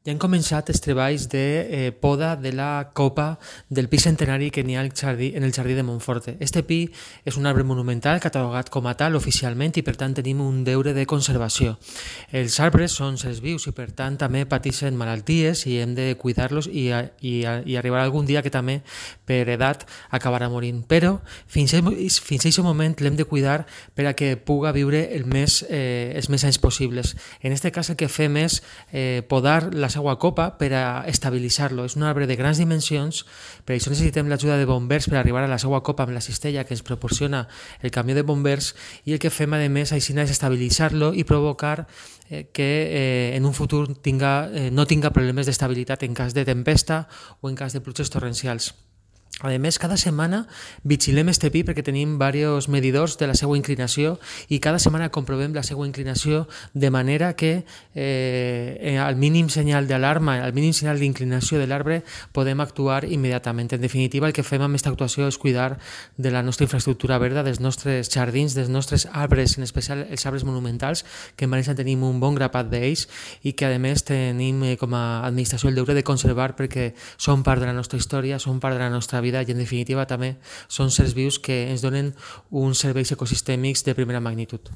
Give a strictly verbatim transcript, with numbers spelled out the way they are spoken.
Ja han començat els treballs de eh, poda de la copa del pi centenari que n'hi ha al jardí, en el jardí de Montforte. Este pi és un arbre monumental catalogat com a tal oficialment i per tant tenim un deure de conservació. Els arbres són sers vius i per tant també pateixen malalties i hem de cuidar-los i, i, i arribarà algun dia que també per edat acabarà morint. Però fins a fins a aquest moment l'hem de cuidar per a que puga viure el més, eh, els més anys possibles. En aquest cas el que fem és eh, podar la seva copa per a estabilitzar-lo. És un arbre de grans dimensions, per això necessitem l'ajuda de bombers per arribar a la seva copa amb la cistella que ens proporciona el camió de bombers, i el que fem a més així és estabilitzar-lo i provocar eh, que eh, en un futur tinga, eh, no tinga problemes d'estabilitat en cas de tempesta o en cas de pluges torrencials. A més, cada setmana vigilem este pi perquè tenim diversos medidors de la seva inclinació i cada setmana comprovem la seva inclinació de manera que eh, al mínim senyal d'alarma, al mínim senyal d'inclinació de l'arbre podem actuar immediatament. En definitiva, el que fem amb aquesta actuació és cuidar de la nostra infraestructura verda, dels nostres jardins, dels nostres arbres, en especial els arbres monumentals, que en València tenim un bon grapat d'ells i que a més tenim eh, com a administració el deure de conservar perquè són part de la nostra història, són part de la nostra vida i en definitiva també són sers vius que ens donen uns serveis ecosistèmics de primera magnitud.